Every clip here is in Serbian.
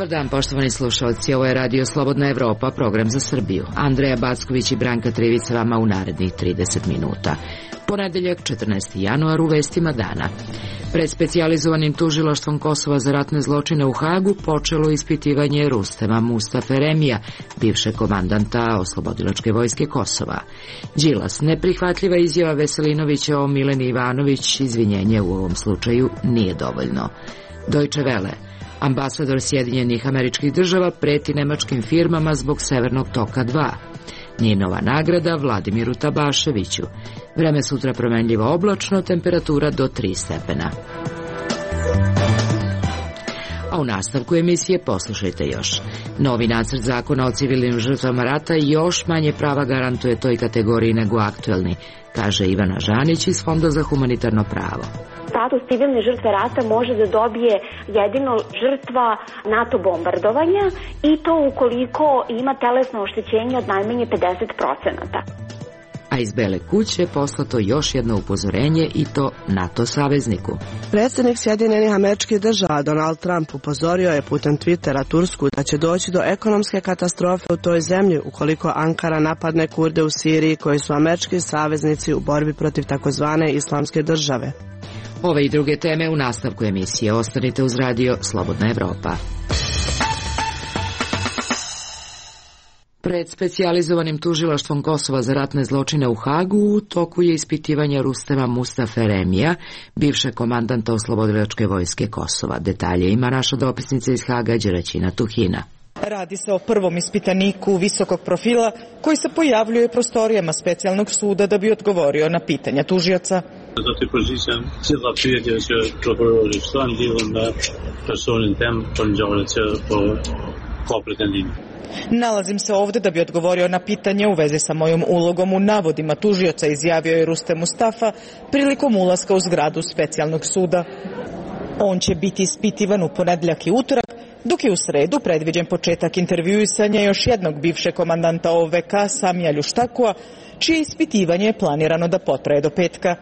Dobar dan, poštovani slušalci, ovo je Radio Slobodna Evropa, program za Srbiju. Andreja Backović i Branka Trivica vama u narednih 30 minuta. Ponedeljak, 14. januar, u vestima dana. Pred specijalizovanim tužilaštvom Kosova za ratne zločine u Hagu počelo ispitivanje Rustema Mustafe Remija, bivšeg komandanta Oslobodilačke vojske Kosova. Đilas, neprihvatljiva izjava Veselinovića o Mileni Ivanović, izvinjenje u ovom slučaju nije dovoljno. Deutsche Welle, ambasador Sjedinjenih Američkih Država preti nemačkim firmama zbog Severnog toka 2. Ninova nagrada Vladimiru Tabaševiću. Vreme sutra promenljivo oblačno, temperatura do 3 stepena. A u nastavku emisije poslušajte još. Novi nacrt zakona o civilnim žrtvama rata još manje prava garantuje toj kategoriji nego aktuelni, kaže Ivana Žanić iz Fonda za humanitarno pravo. Status civilne žrtve rata može da dobije jedino žrtva NATO bombardovanja i to ukoliko ima telesno oštećenje od najmanje 50%. A iz Bele kuće poslato još jedno upozorenje i to NATO savezniku. Predsjednik Sjedinjenih Američkih Država Donald Trump upozorio je putem Twittera Tursku da će doći do ekonomske katastrofe u toj zemlji ukoliko Ankara napadne Kurde u Siriji koji su američki saveznici u borbi protiv takozvane islamske države. Ove i druge teme u nastavku emisije. Ostanite uz Radio Slobodna Evropa. Pred specijalizovanim tužilaštvom Kosova za ratne zločine u Hagu u toku je ispitivanje Rustema Mustafe Remija, bivšeg komandanta Oslobodilačke vojske Kosova. Detalje ima naša dopisnica iz Haga, Đeraćina Tuhina. Radi se o prvom ispitaniku visokog profila koji se pojavljuje u prostorijama specijalnog suda da bi odgovorio na pitanja tužioca. Dat die positie zit dat prokuror i stan delen med personen tem på kopretendin. Nalazim se ovde da bi odgovorio na pitanje u vezi sa mojom ulogom u navodima tužioca, izjavio je Rustem Mustafa prilikom ulaska u zgradu specijalnog suda. On će biti ispitivan u ponedeljak i utorak, dok je u sredu predviđen početak intervjuisanja još jednog bivšeg komandanta OVK Samija Ljuštakua, čije ispitivanje je planirano da potraje do petka.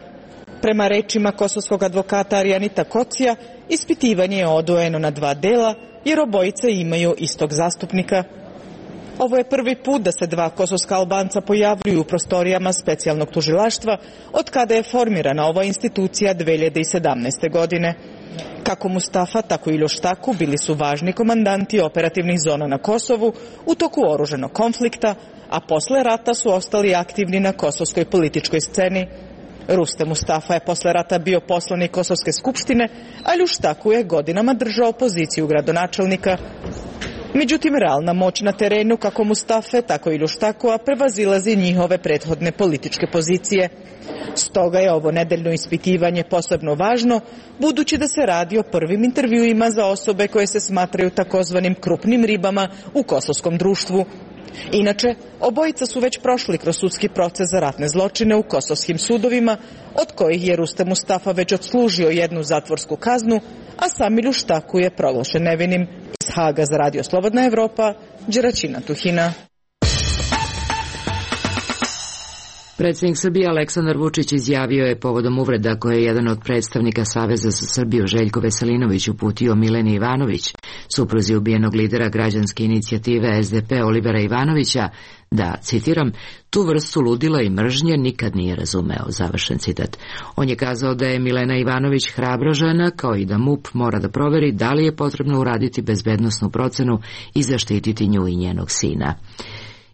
Prema rečima kosovskog advokata Arijanita Kocija, ispitivanje je odvojeno na 2 dela, jer obojice imaju istog zastupnika. Ovo je prvi put da se 2 kosovska Albanca pojavljuju u prostorijama specijalnog tužilaštva od kada je formirana ova institucija 2017. godine. Kako Mustafa, tako i Ljuštaku bili su važni komandanti operativnih zona na Kosovu u toku oružanog konflikta, a posle rata su ostali aktivni na kosovskoj političkoj sceni. Rustem Mustafa je posle rata bio poslanik Kosovske skupštine, a Ljuštaku je godinama držao poziciju gradonačelnika. Međutim, realna moć na terenu kako Mustafe, tako i Ljuštakua prevazilazi njihove prethodne političke pozicije. Stoga je ovo nedeljno ispitivanje posebno važno, budući da se radi o prvim intervjuima za osobe koje se smatraju takozvanim krupnim ribama u kosovskom društvu. Inače, obojica su već prošli kroz sudski proces za ratne zločine u kosovskim sudovima, od kojih je Rustem Mustafa već odslužio 1 zatvorsku kaznu, a sam Ljuštaku je proglašen nevinim. Iz Haga za Radio Slobodna Evropa, Đeraćina Tuhina. Predsjednik Srbije Aleksandar Vučić izjavio je povodom uvreda koje je jedan od predstavnika Saveza za Srbiju Željko Veselinović uputio Mileni Ivanović, supruzi ubijenog lidera građanske inicijative SDP Olivera Ivanovića, da, citiram, tu vrstu ludila i mržnje nikad nije razumeo, završen citat. On je kazao da je Milena Ivanović hrabra žena, kao i da MUP mora da proveri da li je potrebno uraditi bezbednosnu procenu i zaštititi nju i njenog sina.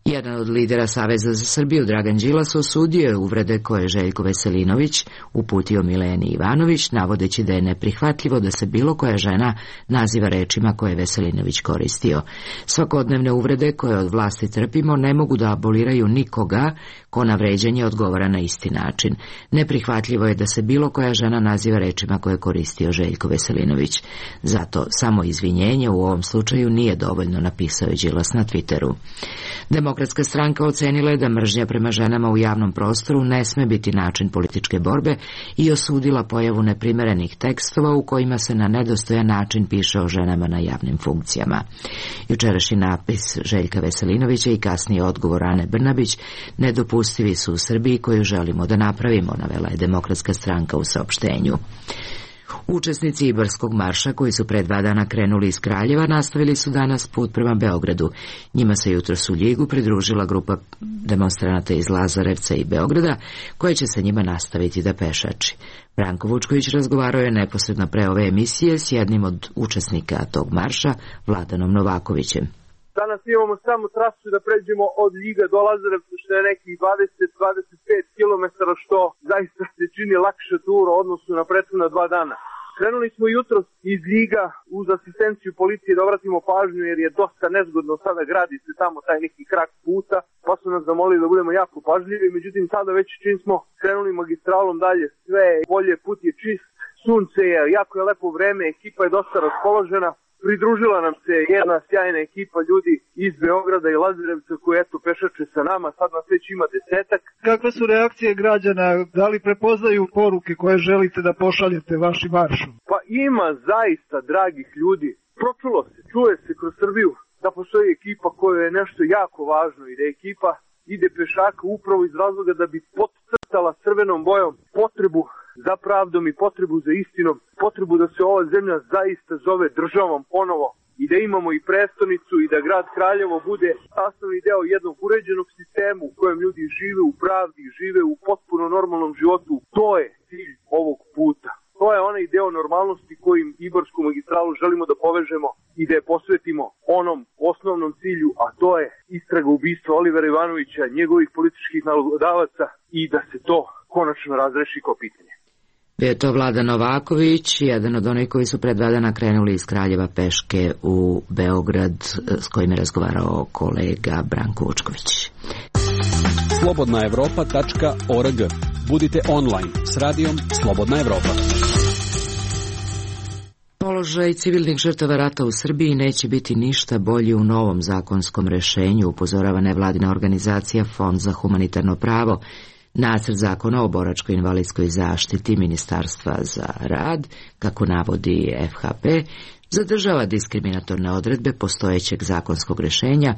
Jedan od lidera Saveza za Srbiju, Dragan Đilas, osudio je uvrede koje je Željko Veselinović uputio Mileni Ivanović, navodeći da je neprihvatljivo da se bilo koja žena naziva rečima koje je Veselinović koristio. Svakodnevne uvrede koje od vlasti trpimo ne mogu da aboliraju nikoga ko na vređanje odgovara na isti način. Neprihvatljivo je da se bilo koja žena naziva rečima koje je koristio Željko Veselinović. Zato samo izvinjenje u ovom slučaju nije dovoljno, napisao je Đilas na Twitteru. Demokratska stranka ocenila je da mržnja prema ženama u javnom prostoru ne sme biti način političke borbe i osudila pojavu neprimerenih tekstova u kojima se na nedostojan način piše o ženama na javnim funkcijama. Jučerašnji napis Željka Veselinovića i kasniji odgovor Ane Brnabić nedopustivi su u Srbiji koju želimo da napravimo, navela je Demokratska stranka u saopštenju. Učesnici Ibarskog marša, koji su pre 2 dana krenuli iz Kraljeva, nastavili su danas put prema Beogradu. Njima se jutros u Ljigu pridružila grupa demonstranata iz Lazarevca i Beograda, koja će sa njima nastaviti da pešači. Branko Vučković razgovarao je neposredno pre ove emisije s jednim od učesnika tog marša, Vladanom Novakovićem. Danas imamo samo trasu da pređemo od Ljiga do Lazarevca, što je nekih 20-25 km, što zaista se čini lakše tura u odnosu na prethodna 2 dana. Krenuli smo jutros iz Ljiga uz asistenciju policije da obratimo pažnju, jer je dosta nezgodno sada, gradi se tamo taj neki krak puta, pa su nas zamolili da budemo jako pažljivi. Međutim, sada već čim smo krenuli magistralom dalje, sve je bolje, put je čist, sunce je, jako je lepo vreme, ekipa je dosta raspoložena. Pridružila nam se jedna sjajna ekipa ljudi iz Beograda i Lazarevca koji eto pešače sa nama, sad nas već ima 10-ak. Kakve su reakcije građana? Da li prepoznaju poruke koje želite da pošaljete vašim maršom? Pa ima zaista dragih ljudi. Pročulo se, čuje se kroz Srbiju da postoji ekipa koja je nešto jako važno i da ekipa ide pešaka upravo iz razloga da bi podcrtala crvenom bojom potrebu za pravdom i potrebu za istinom, potrebu da se ova zemlja zaista zove državom ponovo i da imamo i prestonicu i da grad Kraljevo bude sastavni deo jednog uređenog sistema u kojem ljudi žive u pravdi, žive u potpuno normalnom životu. To je cilj ovog puta. To je onaj deo normalnosti kojim Ibarsku magistralu želimo da povežemo i da je posvetimo onom osnovnom cilju, a to je istraga ubistva Olivera Ivanovića, njegovih političkih nalogodavaca i da se to konačno razreši kao pitanje. Bio je to Vladan Novaković, jedan od onih koji su pre 2 dana krenuli iz Kraljeva peške u Beograd, s kojim je razgovarao kolega Branko Vučković. slobodnaevropa.org. Budite online s radijom Slobodna Evropa. Položaj civilnih žrtava rata u Srbiji neće biti ništa bolji u novom zakonskom rešenju, upozorava nevladina organizacija Fond za humanitarno pravo. Nacrt zakona o boračko-invalidskoj zaštiti Ministarstva za rad, kako navodi FHP, zadržava diskriminatorne odredbe postojećeg zakonskog rešenja,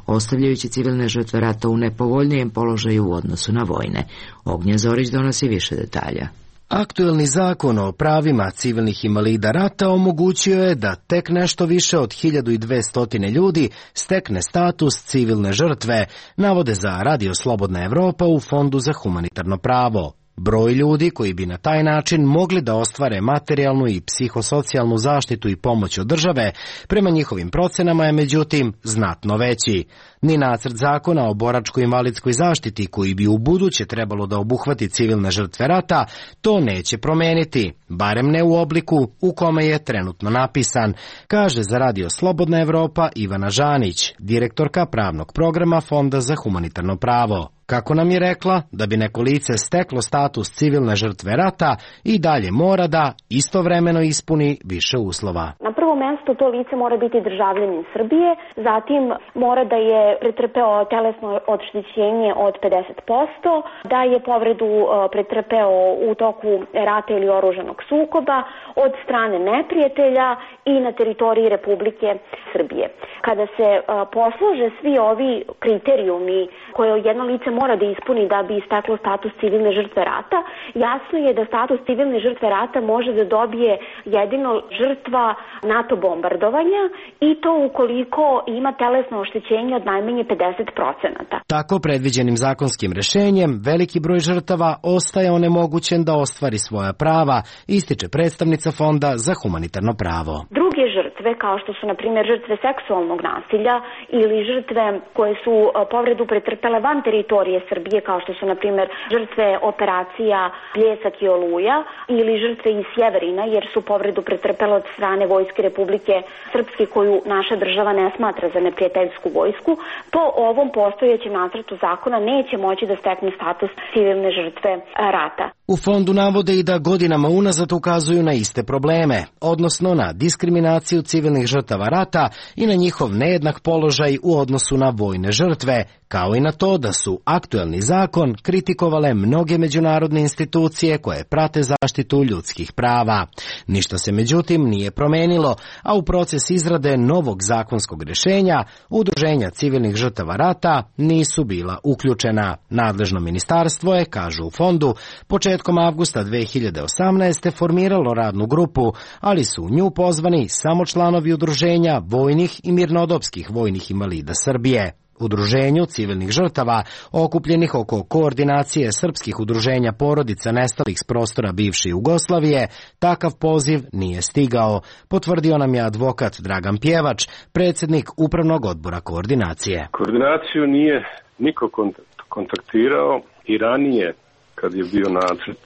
ostavljajući civilne žrtve rata u nepovoljnijem položaju u odnosu na vojne. Ognjen Zorić donosi više detalja. Aktuelni zakon o pravima civilnih invalida rata omogućio je da tek nešto više od 1200 ljudi stekne status civilne žrtve, navode za Radio Slobodna Evropa u Fondu za humanitarno pravo. Broj ljudi koji bi na taj način mogli da ostvare materijalnu i psihosocijalnu zaštitu i pomoć od države, prema njihovim procenama je međutim znatno veći. Ni nacrt zakona o boračko-invalidskoj zaštiti, koji bi u buduće trebalo da obuhvati civilne žrtve rata, to neće promeniti, barem ne u obliku u kome je trenutno napisan, kaže za Radio Slobodna Evropa Ivana Žanić, direktorka pravnog programa Fonda za humanitarno pravo. Kako nam je rekla, da bi neko lice steklo status civilne žrtve rata, i dalje mora da istovremeno ispuni više uslova. Na prvom mjestu to lice mora biti državljanin Srbije, zatim mora da je pretrpeo telesno oštećenje od 50%, da je povredu pretrpeo u toku rata ili oružanog sukoba od strane neprijatelja i na teritoriji Republike Srbije. Kada se poslože svi ovi kriterijumi koje jedno lice mora da ispuni da bi istaklo status civilne žrtve rata, jasno je da status civilne žrtve rata može da dobije jedino žrtva NATO bombardovanja, i to ukoliko ima telesno oštećenje od najmanje 50%. Tako predviđenim zakonskim rešenjem veliki broj žrtava ostaje onemogućen da ostvari svoja prava, ističe predstavnica Fonda za humanitarno pravo. Druge žrtve, kao što su na primjer žrtve seksualnog nasilja ili žrtve koje su povredu pretrpele van teritorije Srbije, kao što su na primjer žrtve operacija Bljesak i Oluja, ili žrtve iz Sjeverina, jer su povredu pretrpele od strane Vojske Republike Srpske, koju naša država ne smatra za neprijateljsku vojsku, po ovom postojećem nacrtu zakona neće moći da stekne status civilne žrtve rata. U fondu navode i da godinama unazad ukazuju na iste probleme, odnosno na diskriminaciju civilnih žrtava rata i na njihov nejednak položaj u odnosu na vojne žrtve, kao i na to da su aktuelni zakon kritikovale mnoge međunarodne institucije koje prate zaštitu ljudskih prava. Ništa se međutim nije promenilo, a u proces izrade novog zakonskog rešenja udruženja civilnih žrtava rata nisu bila uključena. Nadležno ministarstvo je, kažu u fondu, početkom početkom avgusta 2018. formiralo radnu grupu, ali su u nju pozvani samo članovi udruženja vojnih i mirnodopskih vojnih invalida Srbije. Udruženju civilnih žrtava, okupljenih oko koordinacije srpskih udruženja porodica nestalih s prostora bivše Jugoslavije, takav poziv nije stigao, potvrdio nam je advokat Dragan Pjevač, predsjednik Upravnog odbora koordinacije. Koordinaciju nije niko kontaktirao i ranije, kad je bio nacrt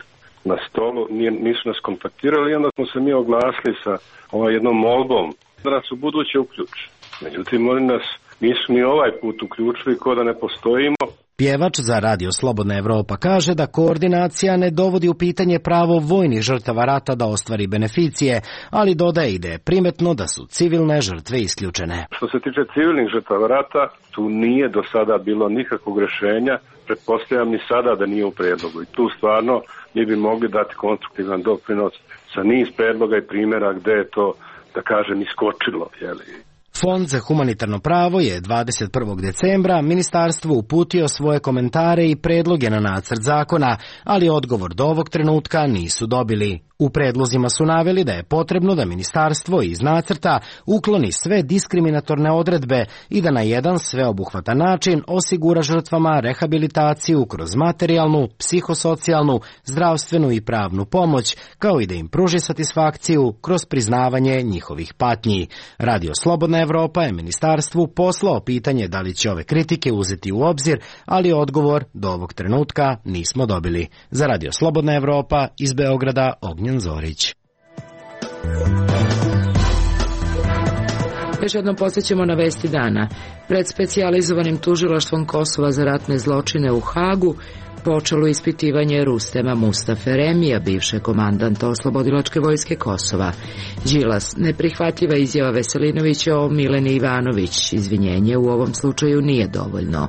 na stolu, nisu nas kontaktirali i onda smo se mi oglasili sa jednom molbom da nas u buduće uključi. Međutim, oni nas nisu ni ovaj put uključili, ko da ne postojimo. Pjevač za Radio Slobodna Evropa kaže da koordinacija ne dovodi u pitanje pravo vojnih žrtava rata da ostvari beneficije, ali dodaje i da je primetno da su civilne žrtve isključene. Što se tiče civilnih žrtava rata, tu nije do sada bilo nikakvog rješenja, pretpostavljam ni sada da nije u predlogu. I tu stvarno mi bi mogli dati konstruktivan doprinos sa niz predloga i primjera gde je to, da kažem, iskočilo, jeli. Fond za humanitarno pravo je 21. decembra ministarstvu uputio svoje komentare i predloge na nacrt zakona, ali odgovor do ovog trenutka nisu dobili. U predlozima su naveli da je potrebno da ministarstvo iz nacrta ukloni sve diskriminatorne odredbe i da na jedan sveobuhvatan način osigura žrtvama rehabilitaciju kroz materijalnu, psihosocijalnu, zdravstvenu i pravnu pomoć, kao i da im pruži satisfakciju kroz priznavanje njihovih patnji. Radio Slobodna Evropa je ministarstvu poslao pitanje da li će ove kritike uzeti u obzir, ali odgovor do ovog trenutka nismo dobili. Za Radio Slobodna Evropa iz Beograda, Ognjen Zorić. Još jednom podsjećamo na vesti dana. Pred specijalizovanim tužilaštvom Kosova za ratne zločine u Hagu počelo ispitivanje Rustema Mustafe Remija, bivše komandanta Oslobodilačke vojske Kosova. Đilas, neprihvatljiva izjava Veselinovića o Mileni Ivanović, izvinjenje u ovom slučaju nije dovoljno.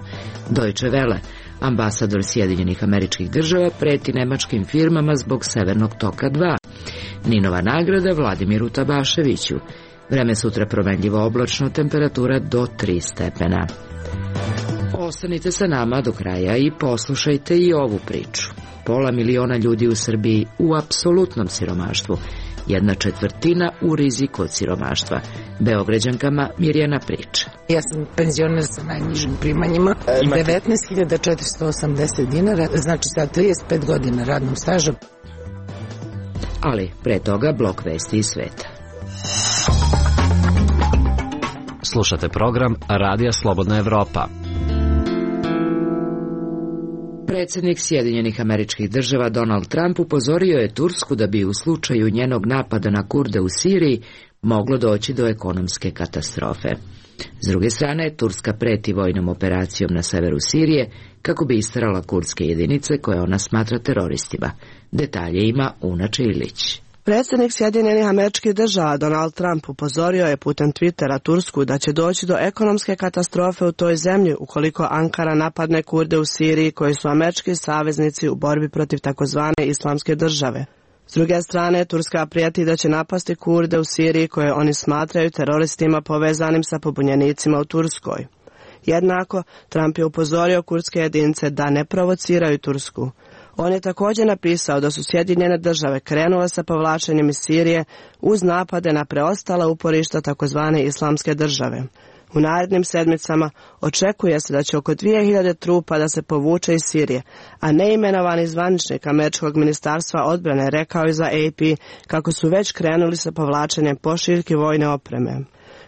Deutsche Welle, ambasador Sjedinjenih Američkih Država preti nemačkim firmama zbog Severnog toka 2. Ninova nagrada Vladimiru Tabaševiću. Vreme sutra promenljivo oblačno, temperatura do 3 stepena. Ostanite sa nama do kraja i poslušajte i ovu priču. 500 miliona ljudi u Srbiji u apsolutnom siromaštvu. 1/4 u riziku od siromaštva. Beograđankama Mirjana priča. Ja sam penzioner sa najnižim primanjima, 19.480 dinara, znači sa 35 godina radnog staža. Ali pre toga blok vesti iz sveta. Slušate program Radija Slobodna Evropa. Predsjednik Sjedinjenih Američkih Država Donald Trump upozorio je Tursku da bi u slučaju njenog napada na Kurde u Siriji moglo doći do ekonomske katastrofe. S druge strane, Turska preti vojnom operacijom na severu Sirije kako bi isterala kurdske jedinice koje ona smatra teroristima. Detalje ima Una Čilić. Predsjednik Sjedinjenih Američkih Država Donald Trump upozorio je putem Twittera Tursku da će doći do ekonomske katastrofe u toj zemlji ukoliko Ankara napadne Kurde u Siriji koji su američki saveznici u borbi protiv takozvane islamske države. S druge strane, Turska prijeti da će napasti Kurde u Siriji koje oni smatraju teroristima povezanim sa pobunjenicima u Turskoj. Jednako, Trump je upozorio kurdske jedinice da ne provociraju Tursku. On je također napisao da su Sjedinjene Države krenule sa povlačenjem iz Sirije uz napade na preostala uporišta takozvane islamske države. U narednim sedmicama očekuje se da će oko 2000 trupa da se povuče iz Sirije, a neimenovani zvaničnik američkog ministarstva odbrane rekao je za AP kako su već krenuli sa povlačenjem pošiljki vojne opreme.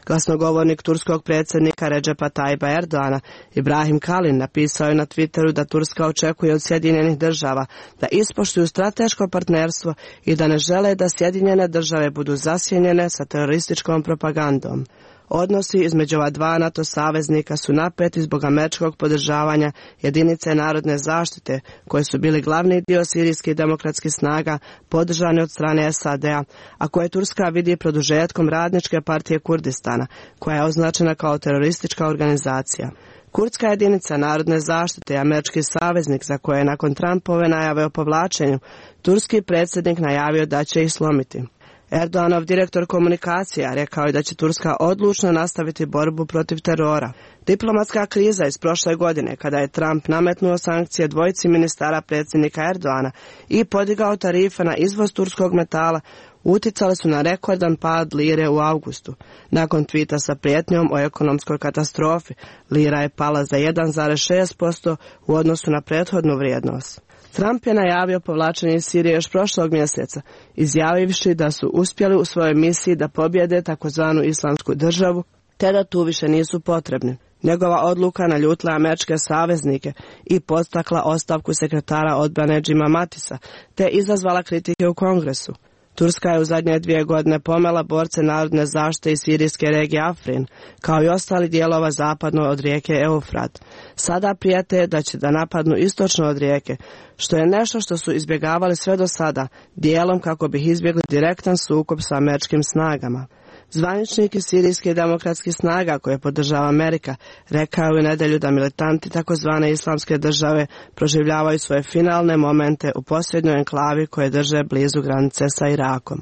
Glasnogovornik turskog predsjednika Recepa Tayyipa Erdoana, Ibrahim Kalin, napisao je na Twitteru da Turska očekuje od Sjedinjenih Država da ispoštuju strateško partnerstvo i da ne žele da Sjedinjene Države budu zasjenjene sa terorističkom propagandom. Odnosi između ova dva NATO saveznika su napeti zbog američkog podržavanja jedinice narodne zaštite, koje su bili glavni dio sirijskih demokratskih snaga podržane od strane SAD-a, a koje Turska vidi produžetkom Radničke partije Kurdistana, koja je označena kao teroristička organizacija. Kurdska jedinica narodne zaštite je američki saveznik za koje je nakon Trumpove najave o povlačenju turski predsjednik najavio da će ih slomiti. Erdoganov direktor komunikacija rekao je da će Turska odlučno nastaviti borbu protiv terora. Diplomatska kriza iz prošle godine, kada je Trump nametnuo sankcije dvojici ministara predsjednika Erdogana i podigao tarife na izvoz turskog metala, uticale su na rekordan pad lire u avgustu. Nakon tvita sa prijetnjom o ekonomskoj katastrofi, lira je pala za 1,6% u odnosu na prethodnu vrijednost. Trump je najavio povlačenje iz Sirije još prošlog mjeseca, izjavivši da su uspjeli u svojoj misiji da pobjede takozvanu islamsku državu, te da tu više nisu potrebni. Njegova odluka naljutila američke saveznike i podstakla ostavku sekretara odbrane Jima Matisa, te izazvala kritike u Kongresu. Turska je u zadnje 2 godine pomela borce narodne zaštite iz sirijske regije Afrin, kao i ostali dijelova zapadno od rijeke Eufrat. Sada prijete da će da napadnu istočno od rijeke, što je nešto što su izbjegavali sve do sada, dijelom kako bi izbjegli direktan sukob sa američkim snagama. Zvaničnik iz sirijskih demokratskih snaga koje podržava Amerika rekao je u nedjelju da militanti takozvane islamske države proživljavaju svoje finalne momente u posljednjoj enklavi koje drže blizu granice sa Irakom.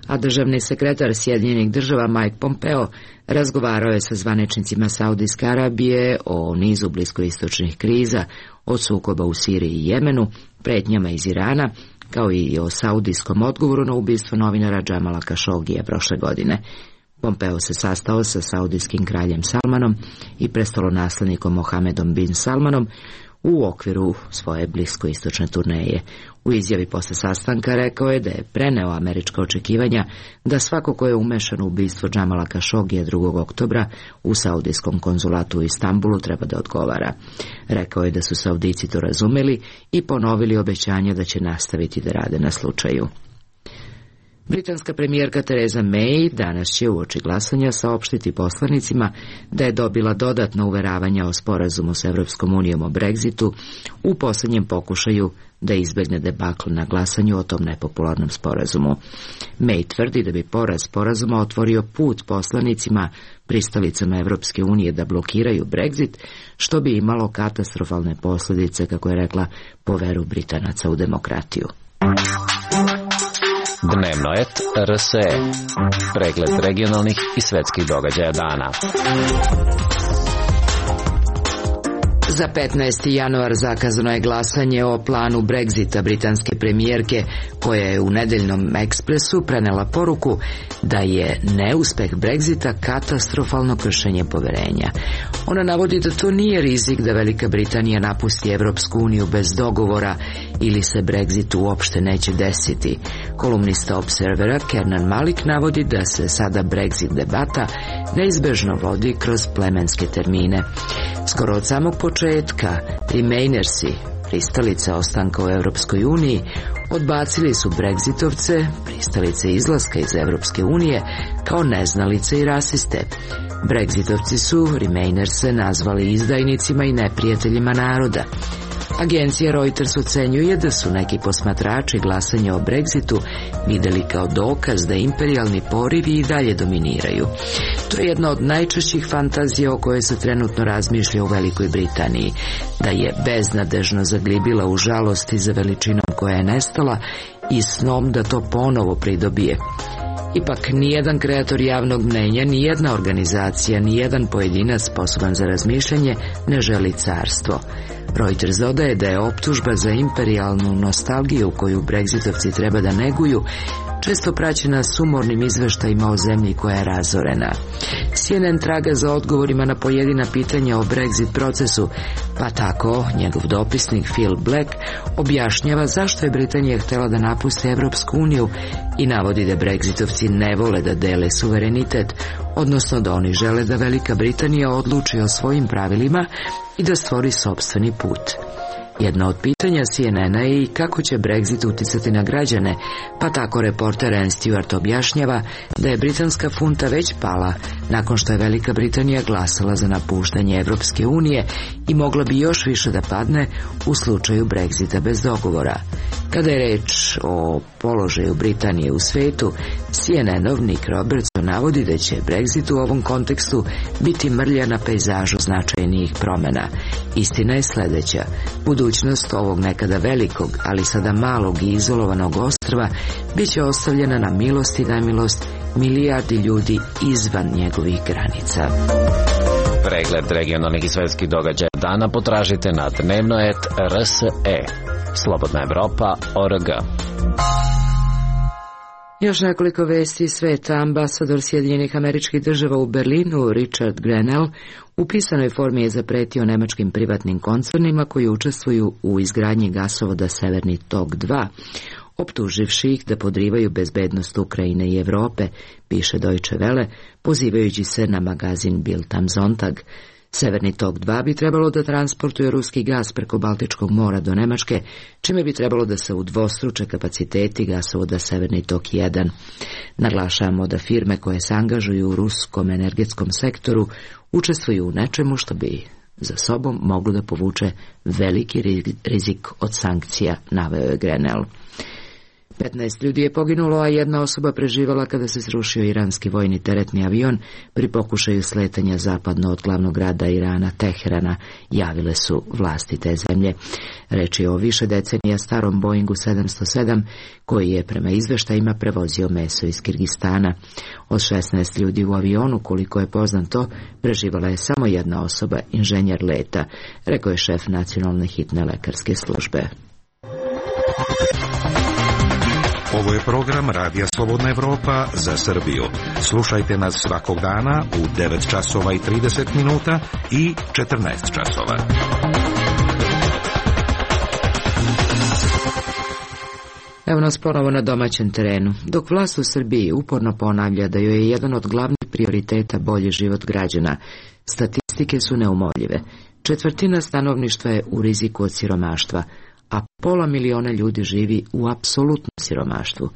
A državni sekretar Sjedinjenih država Mike Pompeo razgovarao je sa zvaničnicima Saudijske Arabije o nizu bliskoistočnih kriza, od sukoba u Siriji i Jemenu, pretnjama iz Irana, kao i o saudijskom odgovoru na ubistvo novinara Džamala Kašogija prošle godine. Pompeo se sastao sa saudijskim kraljem Salmanom i prestolonaslednikom Mohamedom bin Salmanom u okviru svoje bliskoistočne turneje. U izjavi posle sastanka rekao je da je preneo američka očekivanja da svako ko je umešan u ubistvo Džamala Kašogija 2. oktobra u saudijskom konzulatu u Istanbulu treba da odgovara. Rekao je da su Saudijci to razumeli i ponovili obećanje da će nastaviti da rade na slučaju. Britanska premijerka Theresa May danas će uoči glasanja saopštiti poslanicima da je dobila dodatna uveravanja o sporazumu s Evropskom unijom o Brexitu u posljednjem pokušaju da izbegne debakl na glasanju o tom nepopularnom sporazumu. May tvrdi da bi poraz sporazuma otvorio put poslanicima pristalicama Evropske unije da blokiraju Brexit, što bi imalo katastrofalne posljedice, kako je rekla, po veru Britanaca u demokratiju. Dnevnoet RSE. Pregled regionalnih i svetskih događaja dana. Za 15. januar zakazano je glasanje o planu Brexita britanske premijerke, koja je u nedeljnom ekspresu prenela poruku da je neuspeh Brexita katastrofalno kršenje poverenja. Ona navodi da to nije rizik da Velika Britanija napusti Evropsku uniju bez dogovora ili se Brexit uopšte neće desiti. Kolumnista Observera Kernan Malik navodi da se sada Brexit debata neizbežno vodi kroz plemenske termine. Skoro od samog početka Remainersi, pristalice ostanka u Evropskoj uniji, odbacili su Brexitovce, pristalice izlaska iz Evropske unije, kao neznalice i rasiste. Brexitovci su Remainerse nazvali izdajnicima i neprijateljima naroda. Agencija Reuters ocenjuje da su neki posmatrači glasanja o Brexitu vidjeli kao dokaz da imperijalni porivi i dalje dominiraju. To je jedna od najčešćih fantazija o kojoj se trenutno razmišlja u Velikoj Britaniji, da je beznadežno zaglibila u žalosti za veličinom koja je nestala i snom da to ponovo pridobije. Ipak nijedan kreator javnog mnenja, nijedna organizacija, nijedan pojedinac sposoban za razmišljanje ne želi carstvo. Reuters dodaje da je optužba za imperijalnu nostalgiju koju Brexitovci treba da neguju često praćena sumornim izveštajima o zemlji koja je razorena. CNN traga za odgovorima na pojedina pitanja o Brexit procesu, pa tako njegov dopisnik Phil Black objašnjava zašto je Britanija htjela da napusti Evropsku uniju i navodi da Brexitovci ne vole da dele suverenitet, odnosno da oni žele da Velika Britanija odluči o svojim pravilima i da stvori sopstveni put. Jedno od pitanja CNN-a je i kako će Brexit uticati na građane, pa tako reporter Ann Stewart objašnjava da je britanska funta već pala nakon što je Velika Britanija glasala za napuštanje Evropske unije i mogla bi još više da padne u slučaju Brexita bez dogovora. Kada je reč o položaju Britanije u svetu, CNN-ov Nick Robertson navodi da će Brexit u ovom kontekstu biti mrlja na pejzažu značajnijih promjena. Istina je sljedeća: budućnost ovog nekada velikog, ali sada malog i izolovanog ostrva bit će ostavljena na milost i nemilost milijardi ljudi izvan njegovih granica. Pregled regionalnih i svetskih događaja dana potražite na dnevno.rse. Slobodna Evropa.org. Još nekoliko vesti iz sveta. Ambasador Sjedinjenih Američkih Država u Berlinu, Richard Grenell, u pisanoj formi je zapretio nemačkim privatnim koncernima koji učestvuju u izgradnji gasovoda Severni tok 2, optuživši ih da podrivaju bezbednost Ukrajine i Evrope, piše Deutsche Welle, pozivajući se na magazin Bild am Sonntag. Severni tok 2 bi trebalo da transportuje ruski gas preko Baltičkog mora do Nemačke, čime bi trebalo da se udvostruče kapaciteti gasovoda Severni tok 1. Naglašavamo da firme koje se angažuju u ruskom energetskom sektoru učestvuju u nečemu što bi za sobom moglo da povuče veliki rizik od sankcija, naveo je Grenell. 15 ljudi je poginulo, a jedna osoba preživjela kada se srušio iranski vojni teretni avion pri pokušaju sletanja zapadno od glavnog grada Irana, Teherana, javile su vlasti te zemlje. Reč je o više decenija starom Boeingu 707, koji je prema izveštajima prevozio meso iz Kirgistana. Od 16 ljudi u avionu, koliko je poznato, preživjela je samo jedna osoba, inženjer leta, rekao je šef nacionalne hitne lekarske službe. Ovo je program Radija Slobodna Evropa za Srbiju. Slušajte nas svakog dana u 9 časova i 30 minuta i 14 časova. Evo nas ponovo na domaćem terenu. Dok vlast u Srbiji uporno ponavlja da joj je jedan od glavnih prioriteta bolji život građana, statistike su neumoljive. 1/4 stanovništva je u riziku od siromaštva, a 500.000 ljudi živi u apsolutnom siromaštvu.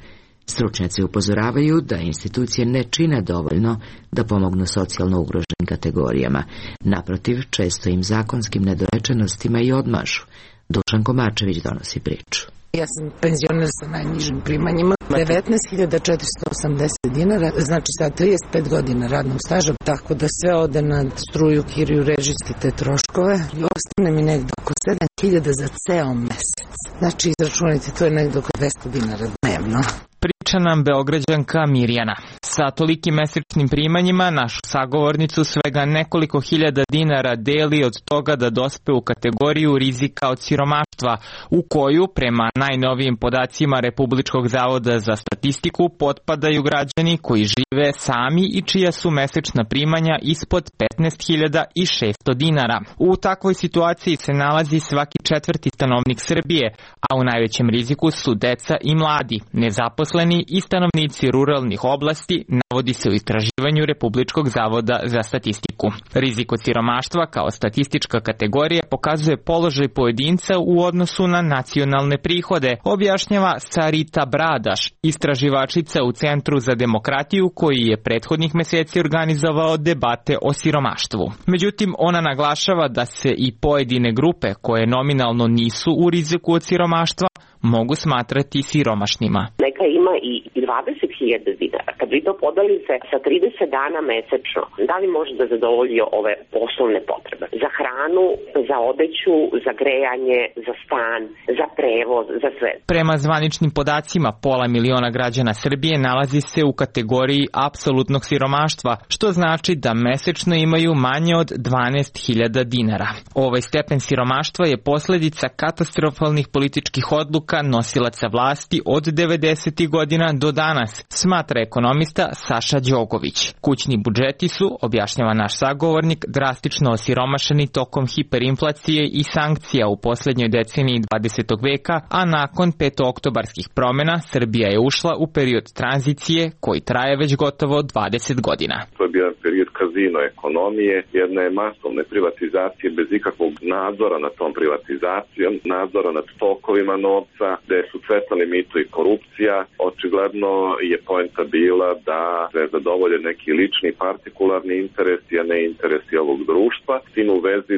Stručnjaci upozoravaju da institucije ne čine dovoljno da pomognu socijalno ugroženim kategorijama. Naprotiv, često im zakonskim nedorečenostima i odmažu. Dušan Komačević donosi priču. Ja sam penzioner sa najnižim primanjima, 19.480 dinara, znači sa 35 godina radnog staža, tako da sve ode na struju, kiriju, režijske te troškove i ostane mi negdje oko 7.000 za ceo mesec. Znači, izračunajte, to je negdje oko 200 dinara dnevno. Priča nam Beograđanka Mirjana. Sa tolikim mesečnim primanjima našu sagovornicu svega nekoliko hiljada dinara deli od toga da dospe u kategoriju rizika od siromaštva, u koju, prema najnovijim podacima Republičkog zavoda za statistiku, potpadaju građani koji žive sami i čija su mesečna primanja ispod 15.600 dinara. U takvoj situaciji se nalazi svaki 4. stanovnik Srbije, a u najvećem riziku su deca i mladi, nezaposleni i stanovnici ruralnih oblasti, navodi se u istraživanju Republičkog zavoda za statistiku. Rizik od siromaštva kao statistička kategorija pokazuje položaj pojedinca u odnosu na nacionalne prihode, objašnjava Sarita Bradaš, istraživačica u Centru za demokratiju koji je prethodnih meseci organizovao debate o siromaštvu. Međutim, ona naglašava da se i pojedine grupe koje nominalno nisu u riziku od siromaštva mogu smatrati siromašnima. Neka ima i 20.000 dinara. Kad vi to podelite sa 30 dana mesečno, da li može da zadovolji ove osnovne potrebe? Za hranu, za odeću, za grejanje, za stan, za prevoz, za sve. Prema zvaničnim podacima, 500.000 građana Srbije nalazi se u kategoriji apsolutnog siromaštva, što znači da mesečno imaju manje od 12.000 dinara. Ovaj stepen siromaštva je posljedica katastrofalnih političkih odluka nosilaca vlasti od 90. godina do danas, smatra ekonomista Saša Đogović. Kućni budžeti su, objašnjava naš sagovornik, drastično osiromašeni tokom hiperinflacije i sankcija u posljednjoj deceniji 20. veka, a nakon petooktobarskih promjena Srbija je ušla u period tranzicije koji traje već gotovo 20 godina. To je bio period kazino ekonomije, jedne masovne privatizacije bez ikakvog nadzora nad tom privatizacijom, nadzora nad tokovima novca, gde su cvetali mito i korupcija. očigledno je poenta bila da se zadovolje neki lični partikularni interesi, a ne interesi ovog društva. S tim u vezi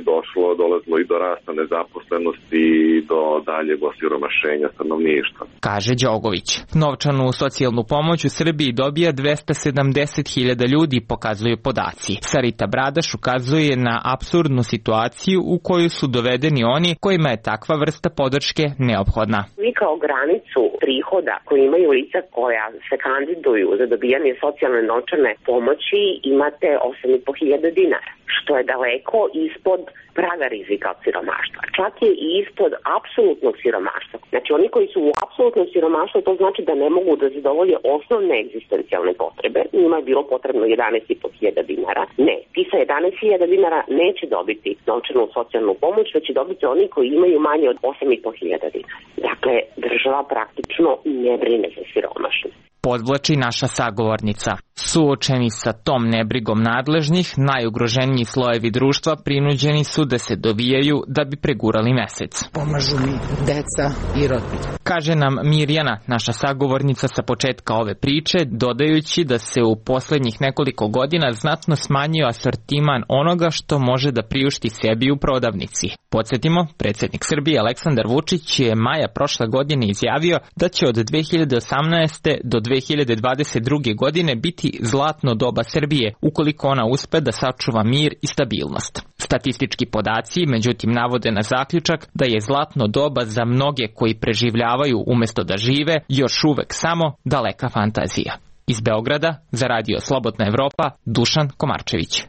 dolazilo i do rasta nezaposlenosti i do daljeg osiromašenja stanovništva. Kaže Đogović. Novčanu socijalnu pomoć u Srbiji dobija 270.000 ljudi, pokazuju podaci. Sarita Bradaš ukazuje na apsurdnu situaciju u koju su dovedeni oni kojima je takva vrsta podrške neophodna. Vi kao granicu prihoda koji imaju lica koja se kandiduju za dobijanje socijalne novčane pomoći imate 8.500 dinara, što je daleko ispod praga rizika od siromaštva. Čak je i ispod apsolutnog siromaštva. Znači oni koji su u apsolutnom siromaštvu, to znači da ne mogu da zadovolje osnovne egzistencijalne potrebe. Njima je bilo potrebno 11.500 dinara. Ne, ti sa 11.000 dinara neće dobiti novčanu socijalnu pomoć, već će dobiti oni koji imaju manje od 8.500 dinara. Dakle, država praktično ne brine za siromašne. Podvlači naša sagovornica. Suočeni sa tom nebrigom nadležnih, najugroženiji slojevi društva prinuđeni su da se dovijaju da bi pregurali mesec. Pomažu mi deca i rodbina. Kaže nam Mirjana, naša sagovornica sa početka ove priče, dodajući da se u poslednjih nekoliko godina znatno smanjio asortiman onoga što može da priušti sebi u prodavnici. Podsjetimo, predsjednik Srbije Aleksandar Vučić je maja prošle godine izjavio da će od 2018. do 2022. godine biti zlatno doba Srbije, ukoliko ona uspe da sačuva mir i stabilnost. Statistički podaci, međutim, navode na zaključak da je zlatno doba za mnoge koji preživljavaju umesto da žive još uvek samo daleka fantazija. Iz Beograda, za Radio Slobodna Evropa, Dušan Komarčević.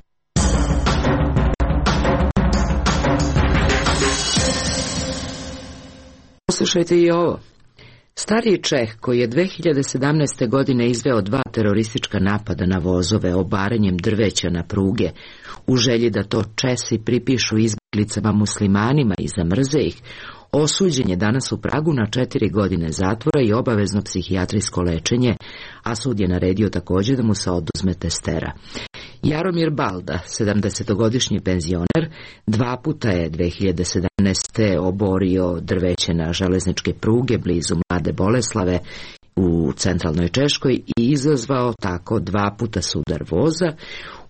Poslušajte i ovo. Stariji Čeh, koji je 2017. godine izveo 2 teroristička napada na vozove obaranjem drveća na pruge, u želji da to Česi pripišu izbjeglicama muslimanima i zamrze ih, osuđen je danas u Pragu na 4 godine zatvora i obavezno psihijatrijsko lečenje, a sud je naredio također da mu se oduzme testera. Jaromir Balda, 70-godišnji penzioner, 2 puta je 2017. oborio drveće na železničke pruge blizu Mlade Boleslave u centralnoj Češkoj i izazvao tako 2 puta sudar voza,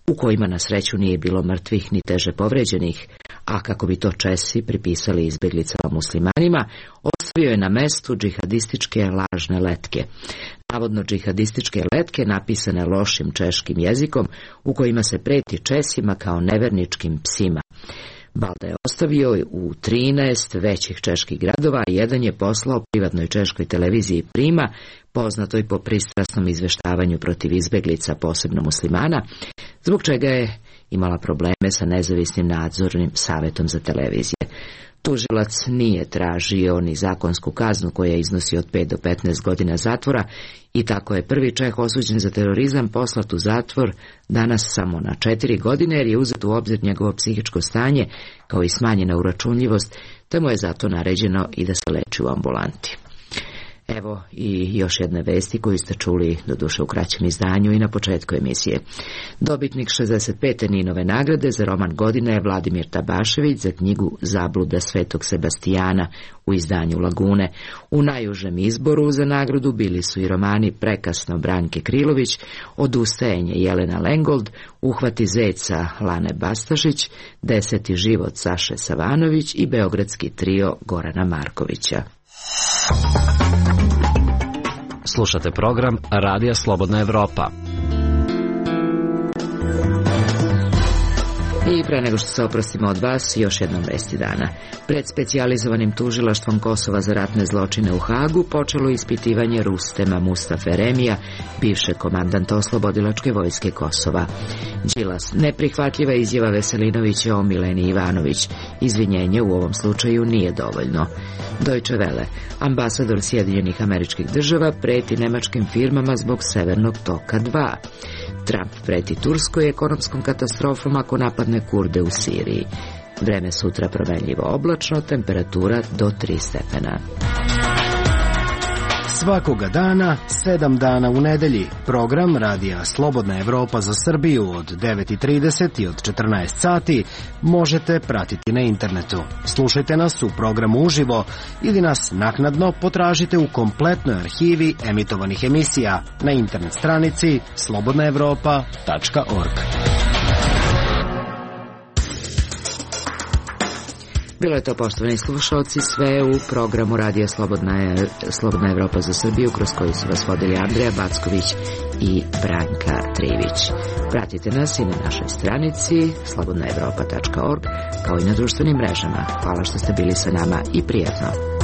u kojima na sreću nije bilo mrtvih ni teže povređenih, a kako bi to Česi pripisali izbjeglicama muslimanima, ostavio je na mestu džihadističke lažne letke. Navodno džihadističke letke napisane lošim češkim jezikom, u kojima se preti Česima kao neverničkim psima. Balda je ostavio u 13 većih čeških gradova, a jedan je poslao privatnoj češkoj televiziji Prima, poznatoj po pristrasnom izveštavanju protiv izbeglica, posebno muslimana, zbog čega je imala probleme sa nezavisnim nadzornim savjetom za televizije. Tužilac nije tražio ni zakonsku kaznu koja iznosi od 5 do 15 godina zatvora i tako je prvi Čeh osuđen za terorizam poslat u zatvor danas samo na 4 godine jer je uzet u obzir njegovo psihičko stanje kao i smanjena uračunljivost, te mu je zato naređeno i da se leči u ambulanti. Evo i još jedne vesti koju ste čuli doduše u kraćem izdanju i na početku emisije. Dobitnik 65. Ninove nagrade za roman godine je Vladimir Tabašević za knjigu Zabluda Svetog Sebastijana u izdanju Lagune. U najužem izboru za nagradu bili su i romani Prekasno Branke Krilović, Odustajanje Jelena Lengold, Uhvati zeca Lane Bastašić, 10. život Saše Savanović i beogradski trio Gorana Markovića. Slušate program Radija Slobodna Evropa. I pre nego što se oprostimo od vas, još jednom vesti dana. Pred specijalizovanim tužilaštvom Kosova za ratne zločine u Hagu počelo ispitivanje Rustema Mustafe Remija, bivšeg komandanta Oslobodilačke vojske Kosova. Đilas, neprihvatljiva izjava Veselinovića o Mileni Ivanović. Izvinjenje u ovom slučaju nije dovoljno. Deutsche Welle, ambasador Sjedinjenih Američkih Država preti nemačkim firmama zbog Severnog toka 2. Trump preti Turskoj ekonomskom katastrofom ako napadne Kurde u Siriji. Vreme sutra promenljivo oblačno, temperatura do 3 stepena. Svakoga dana, 7 dana u nedelji, program Radija Slobodna Evropa za Srbiju od 9:30 i od 14 sati možete pratiti na internetu. Slušajte nas u programu uživo ili nas naknadno potražite u kompletnoj arhivi emitovanih emisija na internet stranici slobodnaevropa.org. Bilo je to, poštovani slušalci, sve u programu Radija Slobodna Evropa za Srbiju, kroz koji su vas vodili Andreja Backović i Branka Trivić. Pratite nas i na našoj stranici slobodnaevropa.org, kao i na društvenim mrežama. Hvala što ste bili sa nama i prijatno.